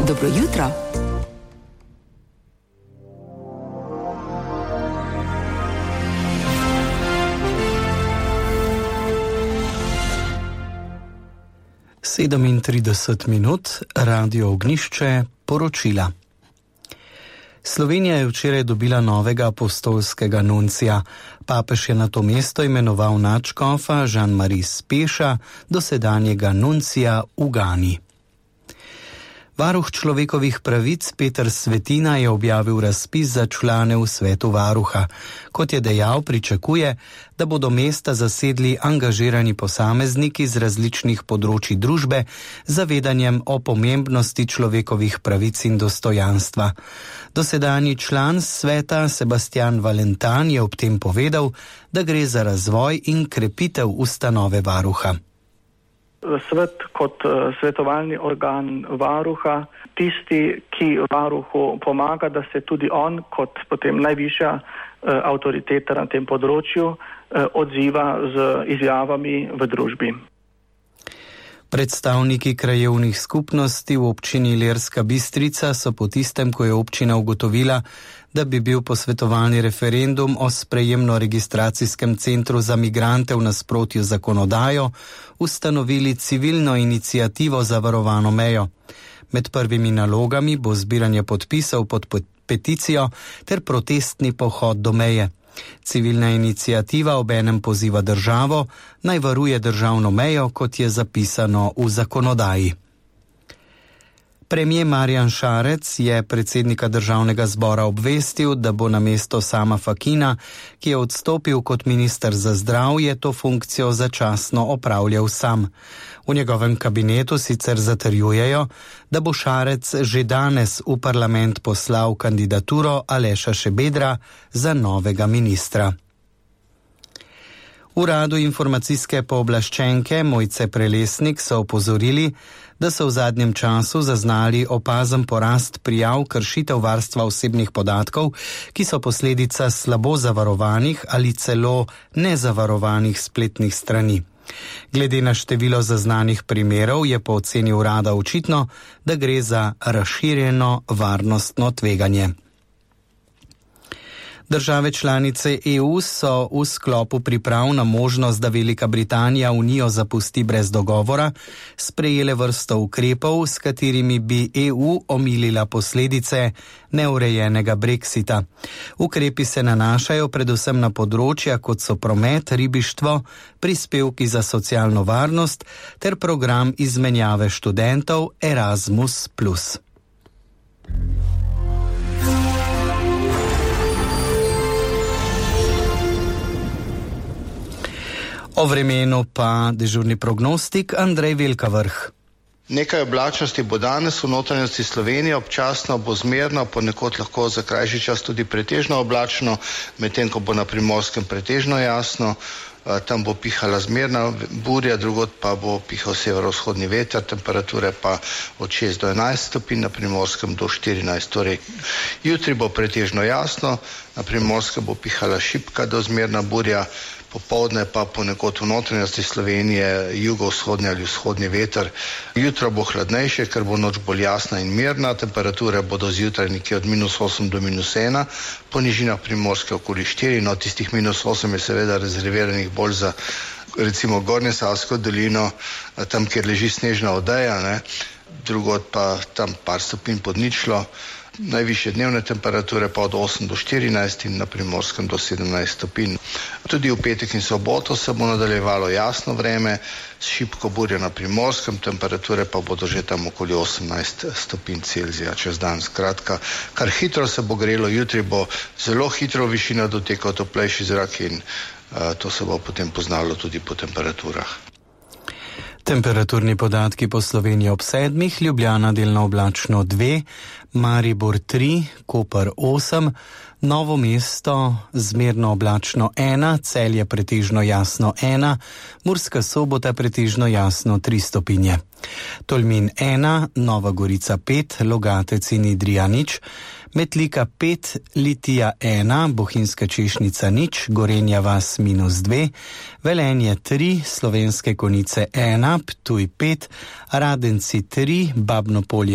Dobro jutro. Sedemintrideset minut, Radio Ognjišče, poročila. Slovenija je včeraj dobila novega apostolskega nuncija. Papež je na to mesto imenoval nadškofa Jean-Marie Speša, dosedanjega nuncija v Gani. Varuh človekovih pravic Peter Svetina je objavil razpis za člane v svetu varuha. Kot je dejal, pričakuje, da bodo mesta zasedli angažirani posamezniki z različnih področij družbe z zavedanjem o pomembnosti človekovih pravic in dostojanstva. Dosedanji član sveta Sebastian Valentan je ob tem povedal, da gre za razvoj in krepitev ustanove varuha. Svet kot svetovalni organ varuha, tisti, ki varuhu pomaga, da se tudi on kot potem najvišja avtoriteta na tem področju odziva z izjavami v družbi. Predstavniki krajevnih skupnosti v občini Ilirska Bistrica so po tistem, ko je občina ugotovila, da bi bil posvetovalni referendum o sprejemno-registracijskem centru za migrante v nasprotju z zakonodajo, ustanovili civilno iniciativo za varovano mejo. Med prvimi nalogami bo zbiranje podpisov pod peticijo ter protestni pohod do meje. Civilna iniciativa obenem poziva državo, naj varuje državno mejo, kot je zapisano v zakonodaji. Premier Marjan Šarec je predsednika državnega zbora obvestil, da bo namesto Sama Fakina, ki je odstopil kot minister za zdravje, to funkcijo začasno opravljal sam. V njegovem kabinetu sicer zatrjujejo, da bo Šarec že danes v parlament poslal kandidaturo Aleša Šabedra za novega ministra. V Uradu informacijske pooblaščenke Mojce Prelesnik so opozorili, da so v zadnjem času zaznali opazen porast prijav kršitev varstva osebnih podatkov, ki so posledica slabo zavarovanih ali celo nezavarovanih spletnih strani. Glede na število zaznanih primerov je po oceni urada očitno, da gre za razširjeno varnostno tveganje. Države članice EU so v sklopu priprav na možnost, da Velika Britanija Unijo zapusti brez dogovora, sprejele vrsto ukrepov, s katerimi bi EU omilila posledice neurejenega Brexita. Ukrepi se nanašajo predvsem na področja, kot so promet, ribištvo, prispevki za socialno varnost ter program izmenjave študentov Erasmus+. O vremenu pa dežurni prognostik Andrej Velkavrh. Nekaj oblačnosti bo danes v notranjosti Slovenije, občasno bo zmerno, ponekod lahko za krajši čas tudi pretežno oblačno, medtem ko bo na Primorskem pretežno jasno. Tam bo pihala zmerna burja, drugod pa bo pihal severovzhodni veter, temperature pa od 6 do 11 stopinj, na Primorskem do 14. Torej, jutri bo pretežno jasno, na Primorskem bo pihala šibka do zmerna burja, popoldne pa ponekod v notranjosti Slovenije jugovzhodni ali vzhodni veter. Jutro bo hladnejše, ker bo noč bolj jasna in mirna, temperature bodo zjutraj nekje od -8 do -1, po nižinah Primorske okoli 4, no tistih -8 je seveda rezerviranih bolj za recimo Gornjesavsko dolino, tam kjer leži snežna odeja, drugod pa tam par stopinj pod ničlo. Najvišje dnevne temperature pa od 8 do 14 in na Primorskem do 17 stopinj. Tudi v petek in soboto se bo nadaljevalo jasno vreme, s šibko burjo na Primorskem, temperature pa bodo že tam okoli 18 stopinj Celzija čez dan. Skratka, kar hitro se bo grelo, jutri bo zelo hitro višina dotekal toplejši zrak in to se bo potem poznalo tudi po temperaturah. Temperaturni podatki po Sloveniji ob 7, Ljubljana delno oblačno 2, Maribor 3, Koper 8, Novo mesto zmerno oblačno 1, Celje pretežno jasno 1, Murska Sobota pretežno jasno 3 stopinje. Tolmin 1, Nova Gorica 5, Logatec in Idrija 0, Metlika 5, Litija 1, Bohinjska Češnica 0, Gorenja vas -2, Velenje 3, Slovenske Konjice 1, Ptuj 5, Radenci 3, Babno Polje